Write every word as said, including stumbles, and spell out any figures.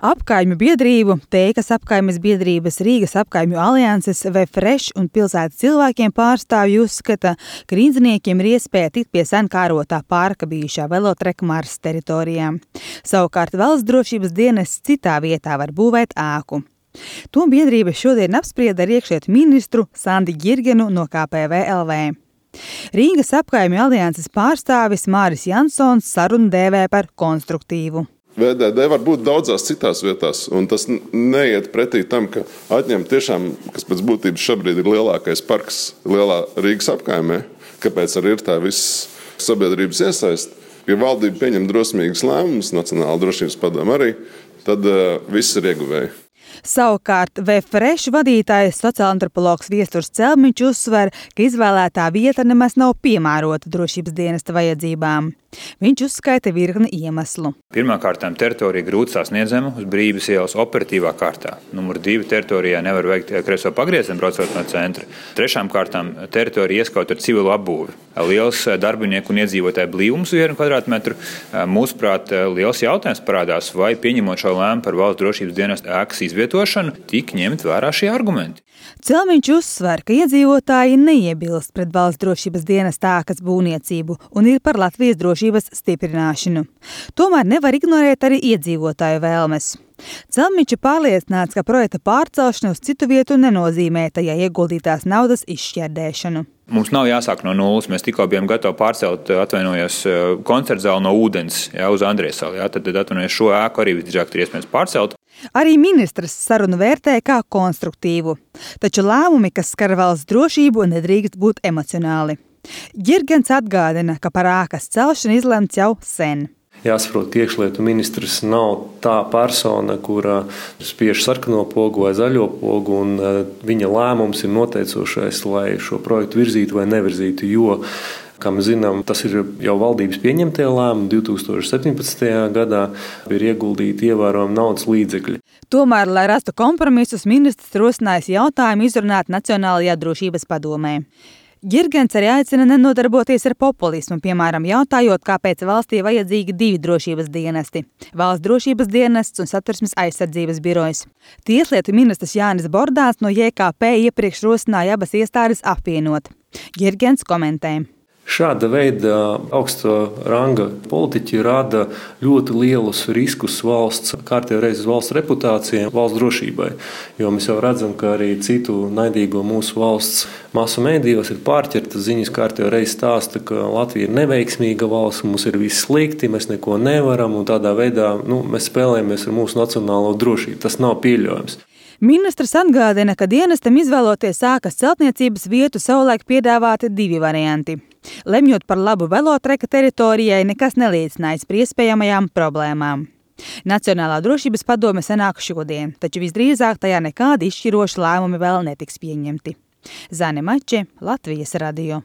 Apkaimju biedrību, Teikas apkaimes biedrības, Rīgas apkaimju alianses, Vefresh un pilsētas cilvēkiem pārstāvji uzskata, ka rīdziniekiem ir iespēja tikt pie sen kārotā parka bijušā velotreka Marsas teritorijā. Savukārt valsts drošības dienests citā vietā var būvēt ēku. To biedrība šodien apsprieda ar iekšlietu ministru Sandi Ģirgenu no K P V L V. Rīgas apkaimju alianses pārstāvis Māris Jansons sarunu dēvē par konstruktīvu. V D D var būt daudzās citās vietās, un tas neiet pretī tam, ka atņem tiešām, kas pēc būtības šobrīd ir lielākais parks lielā Rīgas apkaimē, kāpēc arī ir tā viss sabiedrības iesaist. Ja valdība pieņem drosmīgas lēmumus, Nacionāla drošības padome arī, tad uh, viss ir ieguvēji. Savukārt Vefresh vadītājs sociālantropologs Viesturs Celmiņš uzsver, ka izvēlētā vieta nemaz nav piemērota drošības dienesta vajadzībām. Viņš uzskaita virkni iemeslu. Pirmkārtām teritorija grūti sasniedzama uz Brīvības ielas operatīvā kārtā. Numur divi teritorijā nevar veikt kreiso pagriezienu braucot no centra. Trešām kārtām teritorija ieskauta ar civilu apbūvi. Liels darbinieku un iedzīvotāju blīvums vienu kvadrātmetru. Mūsuprāt, liels jautājums parādās, vai pieņemot šo lēmumu par valsts drošības dienesta ēkas izvietošanu, tik ņemt vērā šie argumenti. Celmiņš uzsver, ka iedzīvotāji neiebilst pret valsts drošības dienesta ēkas būvniecību un ir par Latvijas drošības stiprināšanu. Tomēr nevar ignorēt arī iedzīvotāju vēlmes. Celmiņš ir pārliecināts, ka projekta pārcelšana uz citu vietu nenozīmē tajā ieguldītās naudas izšķērdēšanu. Mums nav jāsāk no nulles. Mēs tikko bijām gatavi pārcelt, atvainojos, koncerta zāli no ūdens, jā, uz Andriesali. Tad, tad atvainojos, šo ēku arī visdrīzāk ir iespējams pārcelt. Arī ministrs sarunu vērtē kā konstruktīvu. Taču lēmumi, kas skar valsts drošību, nedrīkst būt emocionāli. Ģirgens atgādina, ka par ēkas celšanu izlemts jau sen. Jāsaprot, ka iekšlietu ministrs nav tā persona, kura spiež sarkano pogu vai zaļo pogu, un viņa lēmums ir noteicošais, lai šo projektu virzītu vai nevirzītu, jo, kā mēs zinām, tas ir jau valdības pieņemtie lēmumi. divi tūkstoši septiņpadsmitajā gadā ir ieguldīti ievērojami naudas līdzekļi. Tomēr, lai rastu kompromisus, ministrs rosinājis jautājumu izrunāt Nacionālajā drošības padomē. Ģirgens arī aicina nenodarboties ar populismu, piemēram, jautājot, kāpēc valstī vajadzīgi divi drošības dienesti – Valsts drošības dienests un Satversmes aizsardzības birojs. Tieslietu ministrs Jānis Bordāns no J K P iepriekš rosināja abas iestādes apvienot. Ģirgens komentē. Šāda veida augsta ranga politiķi rada ļoti lielus riskus valsts, kārtējo reizi valsts reputācijai, valsts drošībai. Jo mēs jau redzam, ka arī citu naidīgo mūsu valsts masu mēdījos ir pārķertas ziņas, kārtējo reizi stāsta, ka Latvija ir neveiksmīga valsts, mums ir viss slikti, mēs neko nevaram, un tādā veidā nu, mēs spēlējamies ar mūsu nacionālo drošību. Tas nav pieļaujams. Ministrs atgādina, ka dienestam izvēloties ēkas celtniecības vietu savulaik piedāvāti divi varianti. Lemjot par labu velotreka teritorijai, nekas neliecinājas par iespējamajām problēmām. Nacionālā drošības padome sanāk šodien, taču visdrīzāk tajā nekādi izšķiroši lēmumi vēl netiks pieņemti. Zane Mače, Latvijas radio.